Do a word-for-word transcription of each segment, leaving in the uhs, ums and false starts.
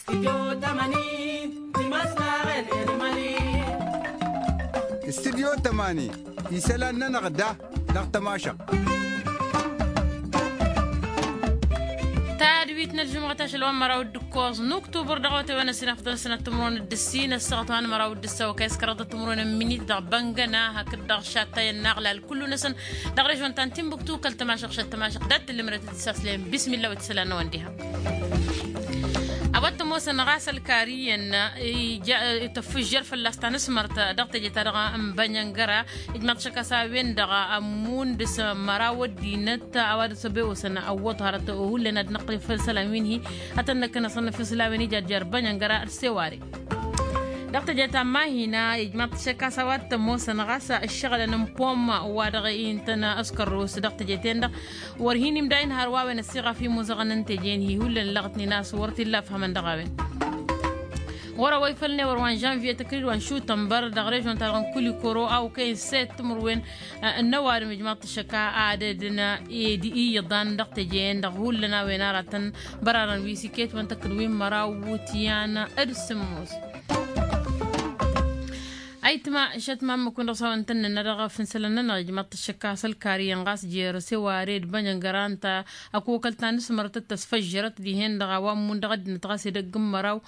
Studyo tămani isălan-nănăɣ da dăɣ-tămašăɣt. Tadwit n-ălžumɣăt ašăl wa n-măraw d-ǝkkoẓ n-uktubăr dăɣ-otewăn ăsinăfḍăn sănăt timǝrwen d-ǝssin ăssaɣăt wa n-măraw d-ǝssaw kăy-s kăraḍăt timǝrwen n-minit dăɣ-băngăna hakd dăɣ-šattayăn n-aɣlal kullu-năsăn dăɣ-režon ta n-timbuktu kăl-tămašăɣ šăt tămašăɣ dat-tǝllǝmrăt d-isaslăyăn bismilla wa t-isălan n-ăwăn diha. A-wa t-ămoosăn ɣas ălkar iyyăn tăffǝžžăr fălla-s tanǝsmărt dăɣ-teje-ta-dăɣ n-bănjăngăra ijmaḍ-t šăkk a-s a-wen-dăɣ ămmun dăɣ-s măraw ăddinăt a-wa dăɣ-s ăbewăsăn ăwwăḍ hărăt hullan ad-năqqǝl făll-isălan wi n-hi ad-tăn-năkkănăsăn făll-isălan wi n-ijajjar bănjăngăra d-seware. Dăɣ-teje ta n-mahina ijmaḍ-t šăkk a-s a-wa t-ămoosăn ɣas ǝššăɣǝlăn n-pom wa dăɣ-intăn ăskărrus dăɣ-teje-ten-dăɣ wăr hin-imdayǝn hărwa a-wen ăssiɣaf imuzăɣăn n-teje n-hi hullan ǝllăɣătnen a-s wăr t-illa ăfhămăn dăɣ-a-wen. Ɣur-awăy făll-newăr wa n-žănvye tăkrǝd wa n-šutănbăr dăɣ-režon-ta-dăɣ n-kulikoro a okăyăn set timǝrwen n-ăwadǝm ijmaḍ-t šăkk a adădăn ed iyyăḍan dăɣ-teje-en-dăɣ hullan a-wen aratăn bărarăn wi s-iket wăn tăkkǝd wi n-măraw wutyan d-sǝmmos. Ayǝtma šăt ma ǝmmǝk-win-dăɣ s-a-wen tăn-nǝnna dăɣ-fǝnsălăn-nănăɣ ijmaḍ-t šăkk a-s ălkar iyyăn ɣas jer-seware d-bănjăngăra ǝnta ăkokăl ta n-asmărăt d-tasfăžžărăt dihen-dăɣ a-wa ǝmmun dăɣ-ăddinăt ɣas edăgg n-măraw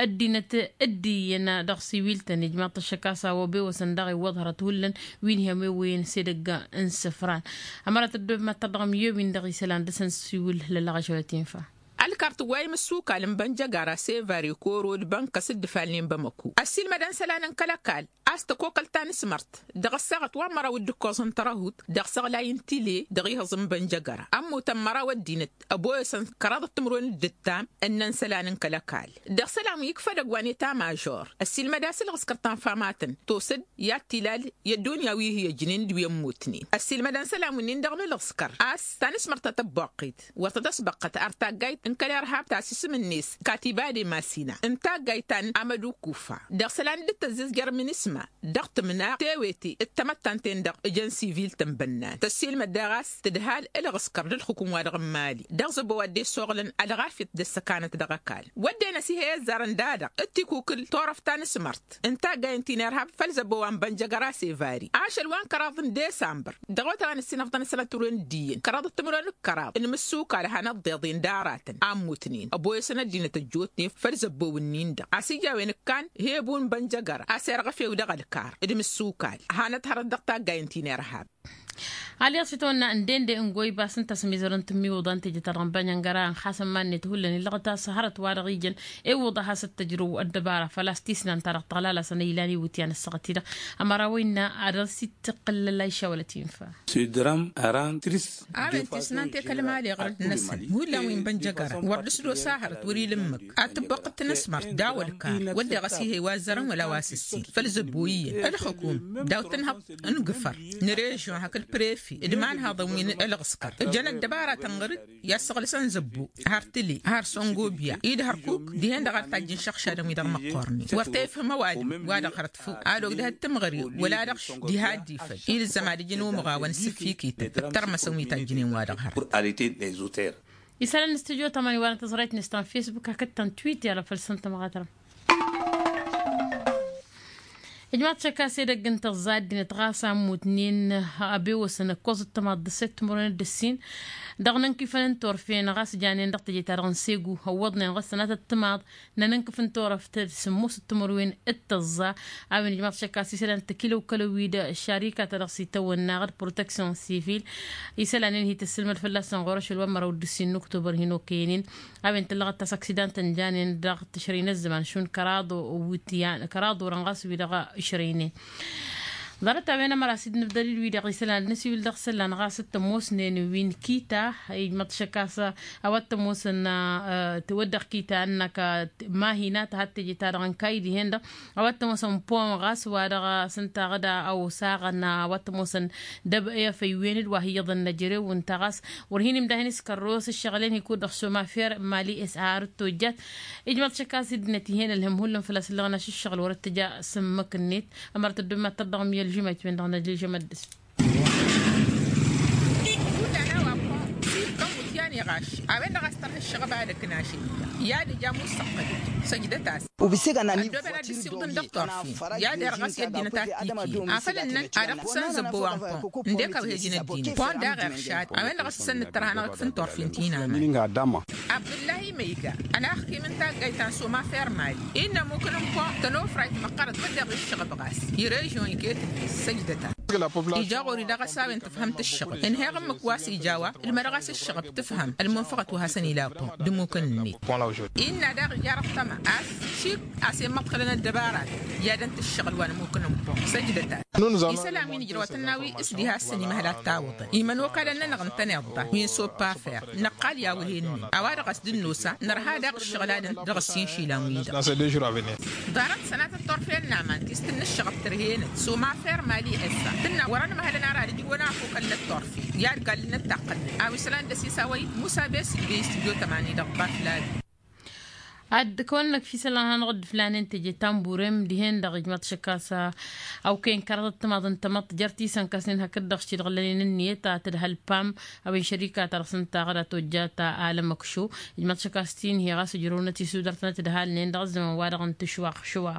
ăddinăt dd-iyyăn dăɣ-siwil-tăn ijmaḍ-t šăkk a-s a-wa obewăsăn daɣ iwwăḍ hărăt hullan wi n-hi-ămewăyăn s-edăgg n-isǝfran. Ămăra tăddob mad-tărdăɣ ămyewin dăɣ-isălan dăr-săn siwǝl lălăɣ ašăl ătinfa. Ălkar tǝwway imǝssukal n-bănjăgara sevari koro d-bănkăs dd-ǝfalnen bamăko ăssiilmădăn isălan n-kăl-ăkall a-s tăkokăl ta n-asmărt dăɣ-ăssaɣăt wa n-măraw d-ǝkkoẓ n-tărăhut dăɣ-isăɣlay n-tile dăɣ-ihǝẓ n-bănjăgăra ămmutăn măraw ăddinăt ăboyăsăn kăraḍăt timǝrwen d-ǝttam ǝnnăn isălan n-kăl-ăkall dăɣ-isălan wi ikfa edăgg wa n-eta mažor ăssiilmăd a-s ǝlɣǝskăr ta n-famatăn tosăd i-ad-t-ilal i-ăddunya wi hi-ăjnen d-wi ămmutnen ăssiilmădăn isălan-winnin dăɣ-inǝlɣǝskăr a-s ta n-asmărt ta tăbboqqit wăr tăt-ăsbăqqăt ar taggayt n-kăl-irhab ta s-isǝm-net katibade masina n-taggayt ta n-amădukufa dăɣ-isălan dd-tăzzǝzjăr minisma dăɣ-tǝmna tewete d-tamăttant-en-dăɣ ǝjăn sivil tănbănnan tăssiilmăd daɣ a-s tǝdhal ǝlɣǝskăr d-ǝlxǝkǝm-wa-dăɣ n-imali dăɣ-zăbo wa dd-esoɣlăn ălɣafyăt d-ăssăkanăt dăɣ-ăkall wădden ăsihăy ăzzarăn da-dăɣ d-tikukǝl turăft ta n-asmărt n-taggay n-tinirhab făll-zăbo wa n-bănjăgăra sevari ašăl wa n-kăraḍ n-desambăr dăɣ-otawăn ăssinăfḍăn isălan timǝrwen d-iyyăn kăraḍăt timǝrwen d-kăraḍ n-imǝssukal hanăt-dd-iḍen d-aratăn a ǝmmutnen ăboyăsăn ăddinăt ăjjootnen făll-zăbbo-wǝnnin-dăɣ a-s ija a-wen ǝkkan hebu n-bănjăgăra a-s irɣăfew dăɣ-ălkar d-imǝssukal hanăt-hărăt dăɣ-taggay n-tinirhab. Alyaṣ itawănna ǝndende n-goyba s-ǝnta a-s mizărăn tǝmmiwǝḍa n-teje-ta-dăɣ n-bănjăngăra ǝnxasăn manniyăt hullan illăɣăt a-s hărăt wa-dăɣ ijăn iwwăḍ a has-ăttăjrăw ăddăbara făl-a-s tisnan-ta-dăɣ tăɣlal-asăn a ilan iwǝtyan ăssaɣăt-i-dăɣ. Ămăra wa innă ad-dăr-s ittăqqǝllăl a išawălăt infa. Săydăr-am ărant tris. A-wen tisnan tekăl mali ɣur-dd-năsăn hullan wi n-bănjăgăra wăr dăr-s d-osa hărăt wăr-ila ǝmmǝk ad-tǝbbuqqǝt tanăsmart daw-ălkar wădden ɣas ih'-e wa ăzzărăn wăla wa s-ǝssin făll-zăbbo iyyăn ălxukum daw-tǝnhăḍ n-gǝfăr n-režion hakd prefe d-imanhaḍăn wi n-ălɣǝskăr ǝjăn ăddăbaratăn ɣur-dd i-ad-săɣlǝsăn zăbbo har tǝle har săngobya-i d-hărkuk dihen-dăɣ ar tajjǝn šăɣšadăn-wi-dăɣ măqqornen wăr tefhǝm ăwadǝm wa dăɣ-hărăt făw ad-ogdăhăt timɣăre wăla dăɣ-diha dd-ifăl i-dăɣ zăma d-ijăn umɣawăn s-ǝffikităn d-tărmăsăn wi tajjǝnen wa-dăɣ hărăt. Isălan n-studyo tămani wa n-tăẓrayt-net ta n-facebook hakd ta n-twitter făll-săn tămɣatărăm. Ijmaḍ-t šăkk a-s edăgg n-tăẓẓa ăddinăt ɣas a ǝmmutnen ăbewăsăn ǝkkoẓ d-tămaḍ d-ăssett timǝrwen d-ǝssin dăɣ-inǝnkifăn n-turfen ɣas janen dăɣ-teje-ta-dăɣ n-segu ăwwăḍnen ɣǝssănatăt timaḍ n-anǝnkǝf n-turăft d-sǝmmos d-timǝrwen d-tăẓẓa. A-wen ijmaḍ-t šăkk a-s isălan tăkilăw-kălăw-wi-dăɣ šarikat ta dăɣ-s itawănna d-proteksyon sivil isălan-en hi-tăssǝlmăd fălla-săn ɣur-ašăl wa n-măraw d-ǝssin n-uktubăr hin-okăyăn-in. A-wen tǝllăɣăt ta s-aksidan tăn-janen dăɣ-tǝšrăy n-ăzzăman šund kăraḍ wǝtyan kăraḍ orăn ɣas wi-dăɣ išrăynen. Ḍarăt-a-wen ămăra s-dd-nǝbdăr-dd wi-dăɣ isălan ad-nǝsiwǝl dăɣ-isălan ɣas d-tămoosnen wi n-kita ijmăḍ-t šăkk a-s a-wa t-ămoosăn. Tǝwăddeɣ kita ǝnnăk mahina tăhat teje-ta-dăɣ n-kayy dihen-dăɣ a-wa t-ămoosăn pom ɣas wa dăɣ-s ǝnta ɣǝd a osaɣăn a-wa t-ămoosăn dăb-i afăywen-dd wa hi-iyyăḍăn n-ejărew ǝnta ɣas wăr hin-imdahin s-kărros ǝššăɣǝl-en hi-kud-dăɣ šomafer mali s-har dd-tojjat. Ijmăḍ-t šăkk a-s ăddinăt ih'-en ălhǝm hullan făl-a-s ǝllăɣăn ašǝššăɣǝl wăr ăttăja s-ǝmmǝk-net. Ămăra tăddob mad-tărdăɣ ǝmyălžǝm a itwendăɣ n-ălžǝm ăddǝs. Hullan a-wa pon s-iffăn wǝtyan Iɣaš a-wen-dăɣ a-s tărha ǝššăɣăb ad-ăknaš illa i-ad-ija mussăɣ-tădăj. Săjdăt-as. Ăddooben ad-dd-ǝssiwǝḍăn dăɣ-turfi i-ad-irɣăs i-ăddinăt ad-t-ǝnnăn ad-ăqqǝsăn zăbbo wa n-pon ǝndek ăwhejăn ăddinăt pon daɣ iršad. A-wen-dăɣ a-s isănnăt tărha-năɣ d-fǝn turfi n-ti n-aman. Abdǝllahi măyga ănaxkim n-taggayt ta n-soma fermali innă ămmukǝn n-pon tănofrayt măqqărăt wădden ɣǝššăɣăb ɣas i-režyon iket-net. Săjdăt-as. Ija ɣur-i dăɣ-s a-wen tǝfhăm tǝššăɣǝb ǝnheɣ ǝmmǝk wa s-ija a-wa ǝlmădăɣ a-s ǝššăɣăb tǝfhăm ălmunfăɣăt wa hasăn-ila pon d-ămmukǝn-net. Innă daɣ ija răṭṭăma a-s šik a-s immăḍkălăn ăddăbarat i-ad-ănt ǝššăɣǝl wa n-ămmukǝn n-pon. Săjdăt-as. Isălan wi n-ǝjrăwăt n-a-wi s-diha a-s săn imăhăl ad-tawǝḍăn imănokalăn-nănăɣ ǝntăneḍ-ta wi n-soppafer năqqal i-awǝhe-net ăwadăɣ a-s dd-nosa nărha daɣ ǝššăɣǝl ad-ănt dăɣ-ăssin išilan-wi-dăɣ. Ḍarăt sănatăt turfen n-aman ti s-tǝnnǝššăɣăb tărhenăt soma fermali ăssa tǝnna wăr-ănmăhălăn ara d-ǝjǝwăn afokăl n-ătturfi i-ad-gallǝnăt taqqălnăt a-wa isălan d-ăsisawăy musa bes d-bey s-tǝjot ămani dăɣ-ḍaflali. Ad-kăwăn-năkf isălan hanăɣ-dd-flanen teje tamburem dihen-dăɣ ijmaḍ šăkk a-s awkăyăn kăraḍăt timaḍ n-tamăḍt jer-tisănkasnen hakd-dăɣ s-ti-dăɣ lănen ǝnniyăt a tǝdhăl pam a-wen šărika-ta-dăɣ s-ǝnta aɣăd a tojja ta alămăkšo. Ijmaḍ šăkk a-s ti n-hi ɣas ǝjrăwnăt isudărtănăt d-halnen dăɣ-ăzzăman-wa-dăɣ n-tǝšwaɣ šwa.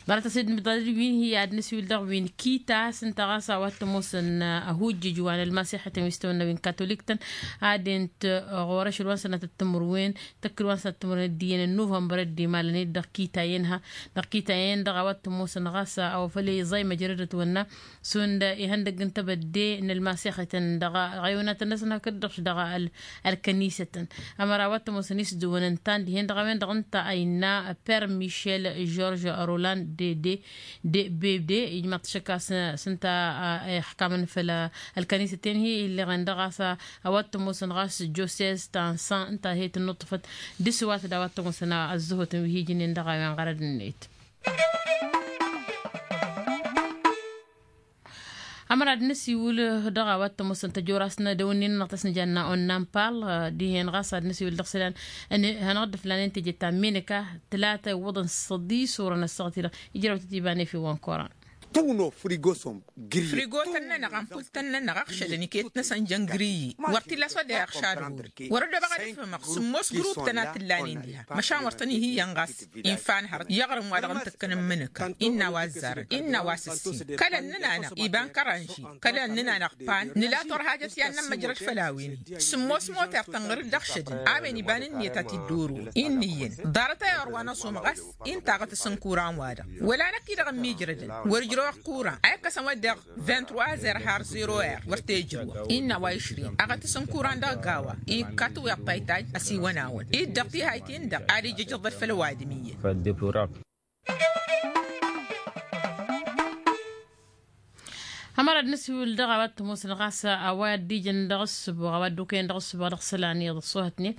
Ḍarăt-as ed n-ibḍad wi n-hi ad-nǝswil dăɣ-wi n-kita s-ǝnta ɣas a-wa t-ămoosăn ăhujjǝj wa n-ălmasixătăn wi s-tawănna wi n-katolik-tăn ad-ent ɣur-ašăl wa n-sănatăt timǝrwen tăkk-dd wa n-sănatăt timǝrwen d-iyyăn n-nuvănbăr dd-imalăn-dd dăɣ-kita-en-ha. Dăɣ-kita-en-dăɣ a-wa t-ămoosăn ɣas a-wa făl iẓay măjrăd ătwănna šund ihăndăgg n-tebădde n-ălmasixătăn dăɣ-iɣăyonatăn-năsăn hakd-dăɣ-š dăɣ-ălkănisătăn. Ămăra a-wa t-ămoosăn isdǝwăn ǝnta n-dihen-dăɣ a-wen-dăɣ ǝnta a innă per michel george roland de de de bebde ijmaḍ-t šăkk a-s s-ǝnta a ixkamăn făll-ălkănisăt-en-hi illeɣen dăɣ-a-s a-wa t-ămoosăn ɣas josez ta n-san ǝnta he-tǝnnuṭṭăfăt d-isǝwat d-a-wa t-ămoosăn ăzzăhotăn wi hi-ijǝnnen dăɣ-a-wen ɣărăd-net. Ămăra ad-nǝsiwǝl dăɣ-a-wa t-ămoosăn tăjorast n-edăwǝnnin-nănăɣ ta s-nǝjanna onnanpal dihen ɣas ad-nǝsiwǝl dăɣ-isălan hanăɣ-dd-ǝflanen teje ta n-minǝka tǝlata iwwăḍăn s-săḍis orăn ăssaɣăt-i-dăɣ. Ijrăw-tăt iba n-efew wa n-koran. Tăwno frigo-som gri. Frigotăn-nănăɣ ampultăn-nănăɣ ăɣšădăn iket-năsăn jăn griyi. Wăr t-illa a-s wa dd-ăyăɣšad ɣur-i wăr-ăddoobăɣ ad-ǝfhǝmăɣ sǝmmos gruptăn a t-ǝllanen diha măšan wăr tăn-ihi iyyăn ɣas. Infa n-hărăt i-aɣrǝm-wa-dăɣ n-tǝkkăn n-imǝnǝka innă a-wa ăzzarăn innă a-wa s-ǝssin. Kăl-ănnăn-anăɣ iba n-kăranži kăl-ănnăn-anăɣ pan nǝla turhajăt i-ad-nămmăjrăd făll-a-wen-hi. Sǝmmos moter tănɣăr-dd ăɣšădăn a-wen iba n-ǝnniyăt a t-dd-orăwăn innă iyyăn. Ḍarăt ayăr wa n-ăṣum ɣas inta aɣătăs n-kuran-wa-dăɣ wăla năkk-i-dăɣ ămmiijrădăn wăr-ǝjrăwăɣ kuran a ikkăsăn wădden. Vingt-trois er har zero er wăr t-ejrăwăɣ innă a-wa išrin aɣătăs n-kuran dăɣ-gawa. Ikka tiweḍt ta itajj ăsiwăn-awăn-dd dăɣ-tihayt-in-dăɣ ad-ijjăjăḍăd făll-ăwadǝm iyyăn. Ămăra d-nǝsiwǝl dăɣ-a-wa t-ămoosăn ɣas a-wa dd-ijăn dăɣ-ǝssǝboɣ a-wa dd-okăyăn dăɣ-ǝssǝboɣ dăɣ-isălan iyyăḍ ăṣṣoohătnen.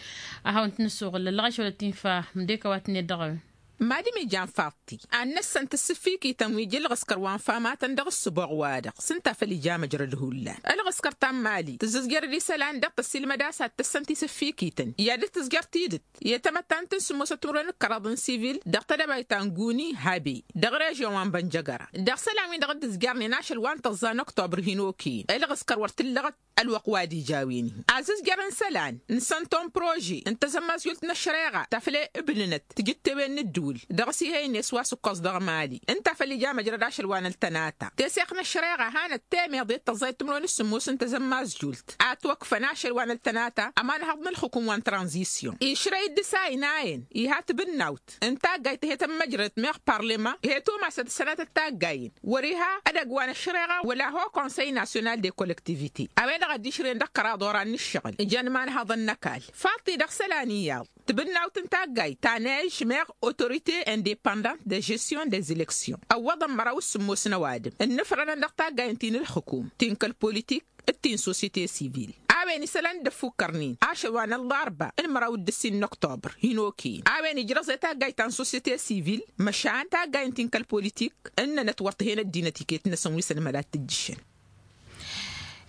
Ad-hawăn-t-nǝssuɣǝl ăllăɣăš wăla t-infa mdek a-wa t-net dăɣ-a-wen. Mad-imija n-faḍti ad-năssăn tǝssǝffikităn wi ija ǝlɣǝskăr wa n-famatăn dăɣ-ǝssǝboɣ-wa-dăɣ s-ǝnta făl ija măjrăd hullan. Ǝlɣǝskăr ta n-mali tǝzzǝzjărăd isălan dăɣ-tăssilmăd a-s ad-tăssăn tisǝffikităn i-ad-dd-tǝzjăr tidǝt i-tamăttant n-sǝmmosăt timǝrwen d-kăraḍ n-sivil dăɣ-tedăbayt ta n-guni habe dăɣ-režyon wa n-bănjăgăra. Dăɣ-isălan-win-dăɣ dd-ǝzjărnen ašăl wa n-tăẓẓa n-oktobăr hin-okăyăn ǝlɣǝskăr wăr t-ǝllăɣăt. Ălwăqq wa d-ija a-wen-hi azǝzjăr n-isălan n-sănton prože n-tăzămmazjult n-ăššăreɣa ta făll-e-ǝbnǝnăt tijǝttewen n-ǝddǝwǝl dăɣ-s ih'-e ines wa s-ǝkkoẓ dăɣ-mali ǝnta făll-ija măjrăd ašăl wa n-ăltănata teseɣt n-ăššăreɣa hanăt-temeḍe d-tăẓẓayt timǝrwen s-sǝmmos n-tăzămmazjult. Ad-t-wăkfăn ašăl wa n-ăltănata ămanhăḍ n-ǝlxǝkǝm wa n-tranzisyon išrăy-dd s-a ăynayăn iha tibǝnnawt n-taggayt he-tămmăjrădăt meɣ parlăma he-tumasăt ăssănatăt taggayen wăr-iha edăgg wa n-ăššăreɣa wăla ho konsăy nasyonal de kollektivite. A-wen-dăɣ a dd-išrăyăn dăɣ-kăraḍ oran n-ǝššăɣǝl ǝjăn imanhăḍăn n-ăkall faḍt-i dăɣ-isălan iyyăḍ tibǝnnawt n-taggayt ta n-ežmeɣ autorite independant de žestion des eleksyon ăwwăḍăn măraw s-sǝmmos n-ăwadǝm ǝnnǝfrănăn dăɣ-taggay n-ti n-ǝlxǝkum ti n-kăl-politik d-ti n-sosyete sivil. A-wen isălan dd-ăffukkărnen ašăl wa n-ăllarba n-măraw d-ǝssin n-oktobăr hin-okăyăn a-wen ijrăẓ i-taggayt ta n-sosyete sivil măšan taggay n-ti n-kăl-politik ǝnnănăt wăr t-hen ăddinăt iket-năsăn wi s-ănmăd ad-t-ǝjjǝšăn.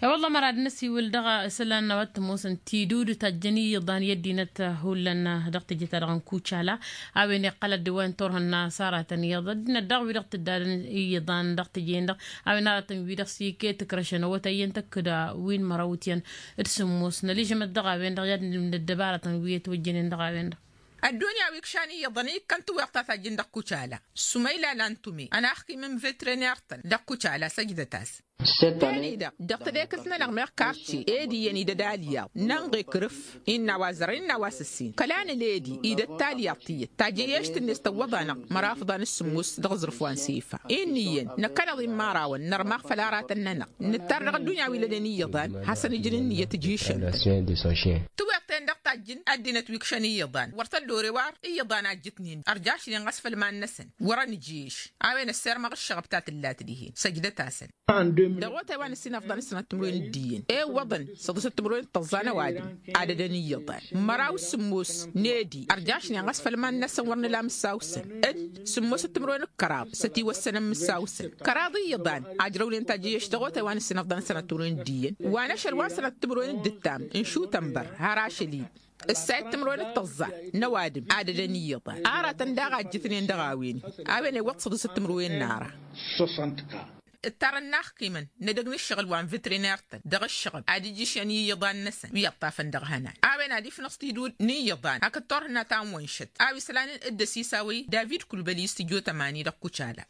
E-wălla mărad n-ăsiwǝl dăɣ-isălan n-a-wa t-ămoosăn tidud tajjăn iyyăḍan i-ăddinăt hullan dăɣ-teje-ta-dăɣ n-kucala. A-wen iqqăl ăddiwăn turhǝnna s-aratăn iyyăḍ ăddinăt daɣ wi-dăɣ tǝddadăn iyyăḍan dăɣ-teje-en-dăɣ. A-wen aratăn wi-dăɣ s-iket ǝkrăšăn awătay iyyăn tăkk d-win măraw ityăn d-sǝmmos năližămăt dăɣ-a-wen-dăɣ i-ad-nǝlmǝd ăddăbarătăn wi ătwăjjănen dăɣ-a-wen-dăɣ. Ăddunya wi ǝkšan iyyăḍăn ikkăn tǝwweɣt ta tajjǝn dăɣ-kucala. Sumăyla lantume ănaxkim n-vetrener-tăn dăɣ-kucala săjdăt-as. Eni-dăɣ dăɣ-tedekăst-nănăɣ meɣ karce ed iyyăn idăd alyaḍ n-ănɣ ikrǝf innă a-wa zărăn innă a-wa s-ǝssin kăla nǝl edi idăd talyaḍt iyyăt tajǝyyešt-net tăwwăḍ-anăɣ măraw afḍan s-sǝmmos dăɣ-aẓrǝf wa n-sifa. Innă iyyăn năkkăneḍ immarawăn nărmaɣ făll-aratăn-nănăɣ nǝttar dăɣ-ăddunya wi lănen iyyăḍan hasăn-ǝjǝn ǝnniyăt ǝjjǝšăn. Tǝwweɣ-ten-dăɣ tajjǝn ăddinăt wi ǝkšăn iyyăḍan wăr tăll-ore wa iyyăḍan a ǝjjǝtnen ărjašnen ɣas făll-iman-năsăn wăr-ănǝjjǝyš. A-wen ăssirmăɣ ǝššăɣăb ta tǝllat dihen săjdăt-asăn. Dăɣ-otay wa n-ǝssin afḍăn s-sănat timǝrwen d-iyyăn ewwăḍăn săḍǝsăt timǝrwen d-tăẓẓa n-ăwadǝm ad-ădăn iyyăḍan măraw s-sǝmmos n-edi ărjašnen ɣas făll-iman-năsăn wăr nǝla mǝssaw-săn d-sǝmmosăt timǝrwen d-kăraḍ s-ătiwăssănăn mǝssaw-săn kăraḍ iyyăḍan. Ajrăwnen tajǝyyešt dăɣ-otay wa n-ǝssin afḍăn s-sănat timǝrwen d-iyyăn wa n-ašăl wa n-sănat timǝrwen d-ǝttam n-šutănbăr har ašăl-i ǝssayăt timǝrwen d-tăẓẓa n-ăwadǝm ad-ădăn iyyăḍan aratăn daɣ a ǝjjǝtnen dăɣ-a-wen. A-wen iwwăḍ săḍǝsăt timǝrwen n-ara. Ǝttarăn inaxkimăn n-edăgg n-ǝššăɣǝl wa n-vetrener-tăn dăɣ-ǝššăɣǝb ad-ǝjjǝšăn i-iyyăḍan-năsăn wi ăṭṭafăn dăɣ-ihănan. A-wen ad-ifnăẓ tidud n-iyyăḍan hakd turhǝnna ta n-wănšăt a-wa isălan ǝddăs isaw-i david kulbăli s-tijo tămani dăɣ-kucala.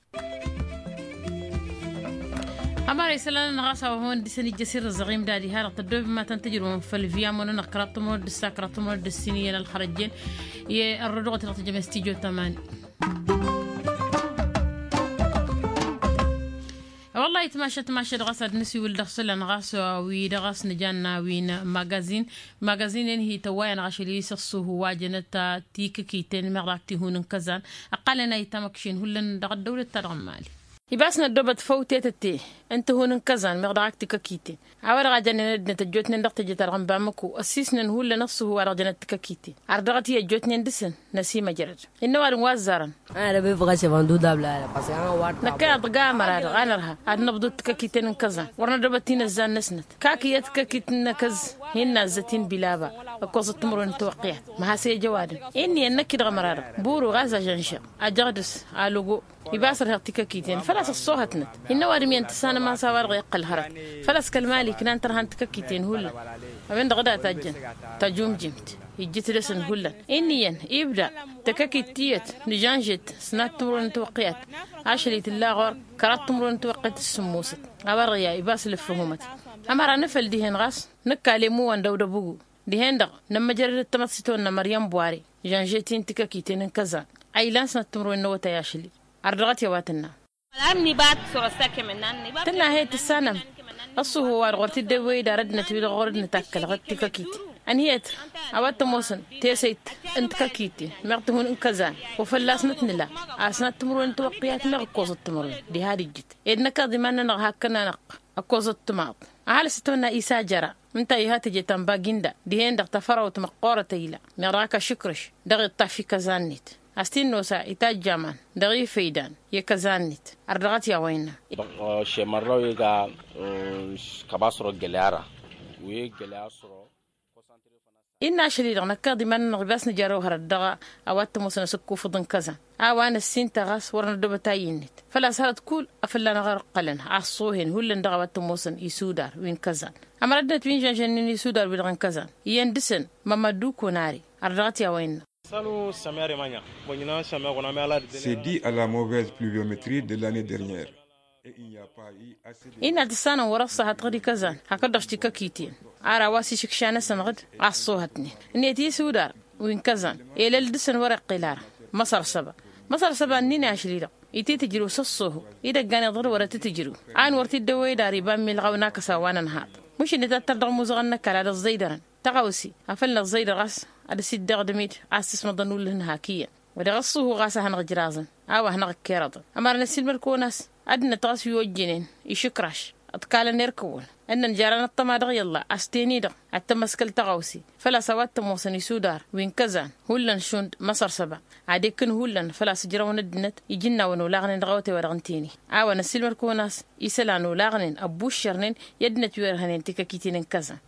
Ămăra isălan-nănăɣ ɣas a-wa hawăn-dd-isăn ijjăs irrǝzăɣ imdad iha-dăɣ tăddoobem ma tăn-tǝjrǝwăm făll-viyamon-nănăɣ kăraḍ timǝrwen d-ǝssa kăraḍ timǝrwen d-ǝssin iyyăn ălxărăjjen. I-ărrăduɣăt dăɣ-tǝjăm s-tijo tămani. Wăllah itmašăt mašăt ɣas ad-nǝsiwǝl dăɣ-isălan ɣas wi-dăɣ a-s nǝjanna wi n-magazin. Magazin-en hi-tăwwayăn ɣašăl-i s-ăṣṣuhu wa jănăt tikǝkiten meɣ dăɣ-ak tihun n-kăzan. Ăqqalăn a itamăkšin hullan dăɣ-ăddăwlăt-ta-dăɣ n-mali. Ibas năddobăt făw tetătte n-tihun n-kăzan meɣ dăɣ-ak tikăkiten. A-wa-dăɣ a jannen ăddinăt ăjjootnen dăɣ-teje-ta-dăɣ n-bamăko ăssisnen hullan ăṣṣuhu wa dăɣ-jănăt tikăkiten. Ar dăɣ-t i-ăjjootnen dăɣ-săn năsimăjrăd. Innă ăwadǝm wa ăzzarăn. Năkk iyyăḍ dăɣ-amăra-dăɣ a nărha ad-năbḍut tikăkiten n-kăzan wăr nădobăt tinăzzan-năsnăt kak iyyăt tikăkit n-akăz. Hin-nazzăt-in bilaba ǝkkoẓăt timǝrwen n-tiwăqqiyat. Măhas i-ăj ăwadǝm. Inn'-iyyăn năkk-i dăɣ-amăra-dăɣ buru ɣas ažănšăɣ ajăɣdǝs alogo. Ibas ărheɣ tikăkiten făl-a-s ăṣṣoohătnăt. Hin-ăwadǝm iyyăn tǝssanăm a-s a-wa-dăɣ iqqăl hărăt. Făl-a-s kăl-mali ǝknan tărha n-tikăkiten hullan. A-wen-dăɣ d-ad-tajjăn tajumjǝmt ijjǝt-dăsăn hullan. Inn'-iyyăn ibda tikăkit tiyyăt nǝžănžet sănat timǝrwen n-tiwăqqiyat. Ašăl-i tǝlla ɣur-kăraḍ timǝrwen n-tiwăqqiyat s-sǝmmosăt. A-wa-dăɣ i-a ibas lǝffǝhumăt. Ămăra nǝfăl dihen ɣas nǝkka lemmu wa n-dăwdăbugu. Dihen-dăɣ nămmăjrăd d-tamăḍsit-wănnă măryăm buware žănžet-in tikăkiten n-kăzan. A ilan sănăt timǝrwen n-awătay ašăl-i. Ar dăɣ-t i-a-wa tǝnna. Tǝnna he-dd tǝssanăm ăṣṣuhu wa-dăɣ wăr t-dd-ăwwey d-arăddinăt wi-dăɣ ɣur-dd nǝtakkălăɣ d-tikăkit. Ănhǝyăt a-wa t-ămoosăn tesăyt n-tikăkiten meɣ tǝhun n-kăzan. Wa fălla-s năt nǝla asnăt timǝrwen n-tiwăqqiyat meɣ ǝkkoẓăt timǝrwen diha d-ǝjjǝt. Ed năkk iḍa iman-nănăɣ hakkăn-anăɣ ǝkkoẓăt timaḍ. Ăhalǝs tătwănna isa jăra ǝnta iha teje ta n-baginda. Dihen-dăɣ tafărawt măqqoorăt a ila meɣ dăɣ-ak ašǝkrǝš dăɣ-iṭṭaf i-kăzan-net. A-s t-in-nosa itajj aman dăɣ-ifăydan i-kăzan-net. Ar dăɣ-t i-a-wa innă. Šemărrăw iga kăba s-oro găle ara wi găle a-s oro. Innă ašăl-i-dăɣ năkk iḍa iman-nănăɣ ibas nǝjarrăw hărăt dăɣ-a-wa t-ămoosăn asǝkkufǝḍ n-kăzan. A-wa năssintăɣ a-s wăr năddobăt a iyyăn-net făl-a-s hărăt kull afălla-năɣ ărqălăn a ăṣṣoohen hullan dăɣ-a-wa t-ămoosăn isudar wi n-kăzan. Ămăra ăddinăt wi n-žănžănnen isudar-wi-dăɣ n-kăzan iyyăn dăɣ-săn mămăddu konare. Ar dăɣ-t i-a-wa innă. Săddi a la mauvaise pluviometrie de l'annee dernière. Innă tǝssanăm wăr-ăṣṣahătăɣ d-ikăzan hakd-dăɣ tikăkiten. Ar a-wa s-išǝkša-năsăn ɣǝd a ăṣṣoohătnen ǝnniyăt isudar wi n-kăzan. Elăl dăɣ-săn wăr-iqqel ara măsăr săba. Măsăr săba ǝnnin i-ašli-dăɣ ititǝjrǝw s-ăṣṣoohu idăggan iḍăr wăr-ătitǝjrǝw. An wăr t-dd-ăwwăy d-ar iba n-milɣaw n-akăsa wa n-ănhaḍ. Mušǝnnet ad-tăr dăɣ-imuzăɣăn n-ăkall ad-ăẓẓăydărăn tăɣawse afăl năẓẓăydăr ɣas ad-dăr-s dd-iɣdǝm-dd a-s tǝsmăḍăn ullǝhăn hak iyyăn. Wa dăɣ-ăṣṣuhu ɣas a hanăɣ-ǝjraẓăn a-wa hanăɣ-ǝkkerăḍăn. Ămăra năsiilmăd-kăwăn a-s ăddinăt ɣas wi ojjănen išǝkraš. Ǝḍkalăn erk-wăn ǝnnăn jer-anăṭṭăma dăɣ-i ălla a-s ten-i-dăɣ ad-tămăskăl tăɣawse făl-a-s a-wa t-ămoosăn isudar wi n-kăzan. Hullan šund măsăr săba ad-ekǝn hullan făl-a-s ǝjrăwăn ăddinăt ijǝnnawăn olaɣnen dăɣ-awătay-wa-dăɣ n-teni. A-wa năssiilmăd-kăwăn a-s isălan olaɣnen ăbbuššărnen i-ăddinăt wi ărhănen tikăkiten n-kăzan.